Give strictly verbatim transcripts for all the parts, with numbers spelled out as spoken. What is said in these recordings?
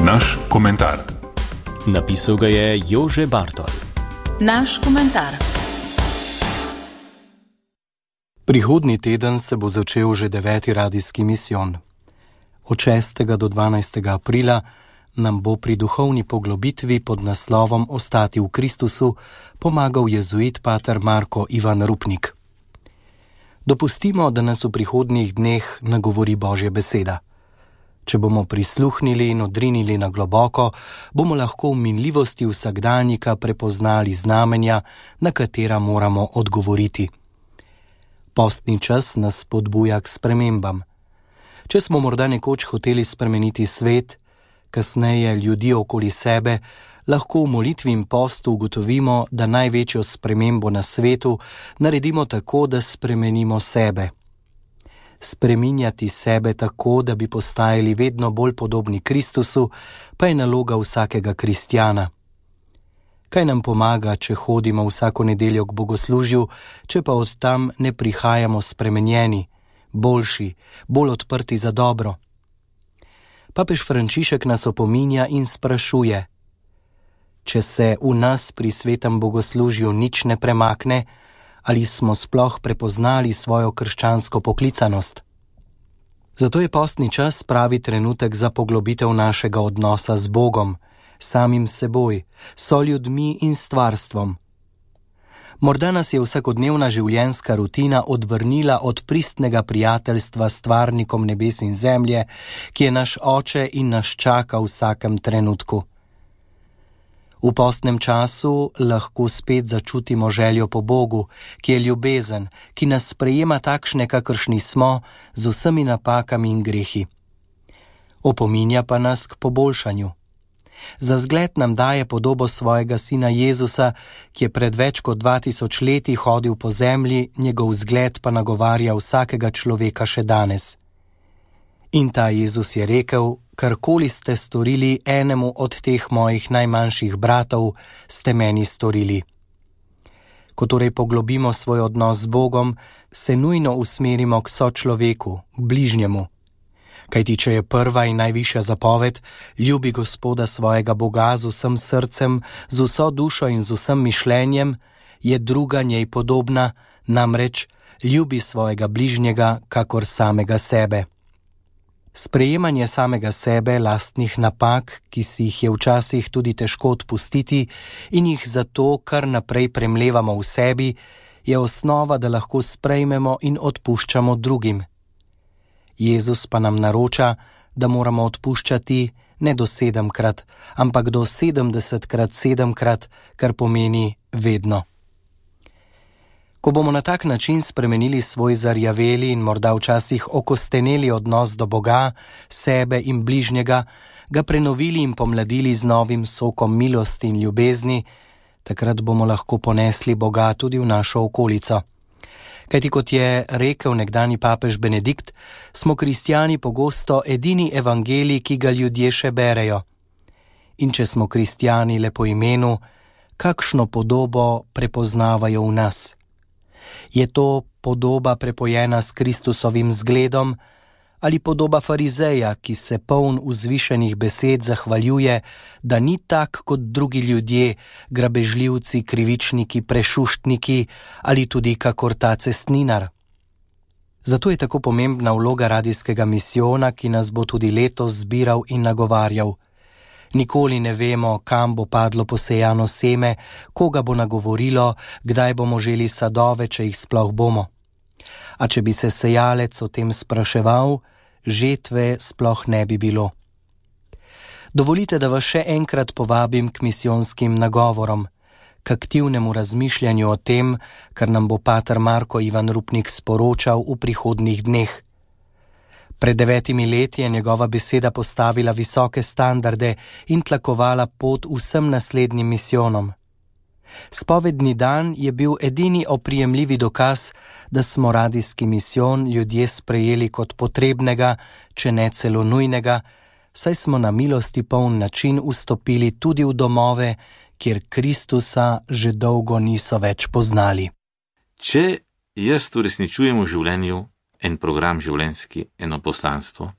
Naš komentar. Napisal ga je Jože Bartol. Naš komentar. Prihodnji teden se bo začel že deveti radijski misijon. Od šestega do dvanajstega aprila nam bo pri duhovni poglobitvi pod naslovom Ostati v Kristusu pomagal jezuit pater Marko Ivan Rupnik. Dopustimo, da nas v prihodnjih dneh nagovori Božja beseda. Če bomo prisluhnili in odrinili na globoko, bomo lahko v minljivosti vsakdanjika prepoznali znamenja, na katera moramo odgovoriti. Postni čas nas spodbuja k spremembam. Če smo morda nekoč hoteli spremeniti svet, kasneje ljudi okoli sebe, lahko v molitvi in postu ugotovimo, da največjo spremembo na svetu naredimo tako, da spremenimo sebe. Spreminjati sebe tako, da bi postajali vedno bolj podobni Kristusu, pa je naloga vsakega kristjana. Kaj nam pomaga, če hodimo vsako nedeljo k bogoslužju, če pa od tam ne prihajamo spremenjeni, boljši, bolj odprti za dobro? Papež Frančišek nas opominja in sprašuje: če se v nas pri svetem bogoslužju nič ne premakne, ali smo sploh prepoznali svojo krščansko poklicanost? Zato je postni čas pravi trenutek za poglobitev našega odnosa z Bogom, samim seboj, soljudmi in stvarstvom. Morda nas je vsakodnevna življenjska rutina odvrnila od pristnega prijateljstva s stvarnikom nebes in zemlje, ki je naš oče in nas čaka v vsakem trenutku. V postnem času lahko spet začutimo željo po Bogu, ki je ljubezen, ki nas sprejema takšne, kakršni smo, z vsemi napakami in grehi. Opominja pa nas k poboljšanju. Za zgled nam daje podobo svojega sina Jezusa, ki je pred več kot dva tisoč leti hodil po zemlji, njegov zgled pa nagovarja vsakega človeka še danes. In ta Jezus je rekel: karkoli ste storili enemu od teh mojih najmanjših bratov, ste meni storili. Ko torej poglobimo svoj odnos z Bogom, se nujno usmerimo k sočloveku, k bližnjemu. Kajti če je prva in najvišja zapoved: ljubi Gospoda svojega Boga z vsem srcem, z vso dušo in z vsem mišljenjem, je druga njej podobna, namreč ljubi svojega bližnjega kakor samega sebe. Sprejemanje samega sebe, lastnih napak, ki si jih je včasih tudi težko odpustiti in jih zato kar naprej premlevamo v sebi, je osnova, da lahko sprejmemo in odpuščamo drugim. Jezus pa nam naroča, da moramo odpuščati ne do sedemkrat, ampak do sedemdesetkrat sedemkrat, kar pomeni vedno. Ko bomo na tak način spremenili svoj zarjaveli in morda včasih okosteneli odnos do Boga, sebe in bližnjega, ga prenovili in pomladili z novim sokom milosti in ljubezni, takrat bomo lahko ponesli Boga tudi v našo okolico. Kajti kot je rekel nekdanji papež Benedikt, smo kristjani pogosto edini evangelij, ki ga ljudje še berejo. In če smo kristjani le po imenu, kakšno podobo prepoznavajo v nas? Je to podoba prepojena s Kristusovim zgledom ali podoba farizeja, ki se poln vzvišenih besed zahvaljuje, da ni tak kot drugi ljudje, grabežljivci, krivičniki, prešuštniki ali tudi kakor ta cestninar? Zato je tako pomembna vloga radijskega misijona, ki nas bo tudi letos zbiral in nagovarjal. Nikoli ne vemo, kam bo padlo posejano seme, koga bo nagovorilo, kdaj bomo želi sadove, če jih sploh bomo. A če bi se sejalec o tem spraševal, žetve sploh ne bi bilo. Dovolite, da vas še enkrat povabim k misijonskim nagovorom, k aktivnemu razmišljanju o tem, kar nam bo pater Marko Ivan Rupnik sporočal v prihodnjih dneh. Pred devetimi leti je njegova beseda postavila visoke standarde in tlakovala pot vsem naslednjim misijonom. Spovedni dan je bil edini oprijemljivi dokaz, da smo radijski misijon ljudje sprejeli kot potrebnega, če ne celo nujnega, saj smo na milosti poln način vstopili tudi v domove, kjer Kristusa že dolgo niso več poznali. Če jaz uresničujem v življenju en program življenjski, eno poslanstvo,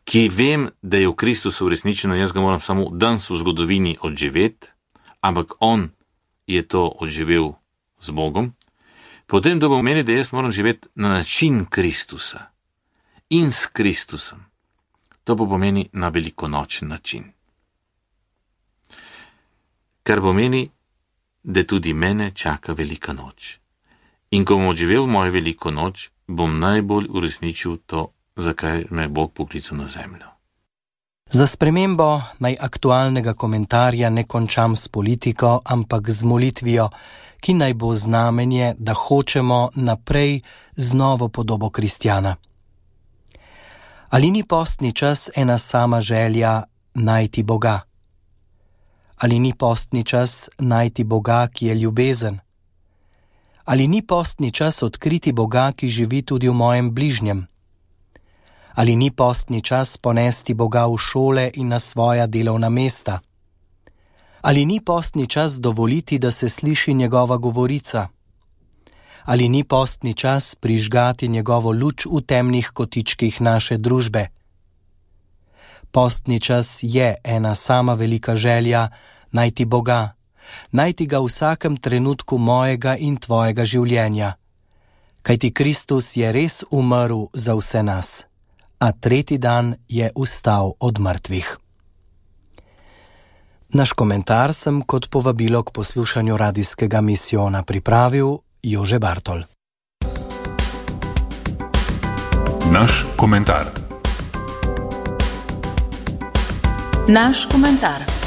ki vem, da je v Kristusu uresničeno, jaz ga moram samo danes v zgodovini odživeti, ampak on je to odživel z Bogom, potem to pomeni, da jaz moram živeti na način Kristusa in s Kristusom. To pa pomeni na velikonočen način. Kar pomeni, da tudi mene čaka velika noč. In ko bom odživel mojo veliko noč, bom najbolj uresničil to, zakaj me je Bog poklical na zemljo. Za spremembo naj aktualnega komentarja ne končam s politiko, ampak z molitvijo, ki naj bo znamenje, da hočemo naprej z novo podobo kristjana. Ali ni postni čas ena sama želja najti Boga? Ali ni postni čas najti Boga, ki je ljubezen? Ali ni postni čas odkriti Boga, ki živi tudi v mojem bližnjem? Ali ni postni čas ponesti Boga v šole in na svoja delovna mesta? Ali ni postni čas dovoliti, da se sliši njegova govorica? Ali ni postni čas prižgati njegovo luč v temnih kotičkih naše družbe? Postni čas je ena sama velika želja najti Boga, najti ga v vsakem trenutku mojega in tvojega življenja. Kajti Kristus je res umrl za vse nas, a tretji dan je vstal od mrtvih. Naš komentar sem kot povabilo k poslušanju radijskega misijona pripravil Jože Bartol. Naš komentar. Naš komentar.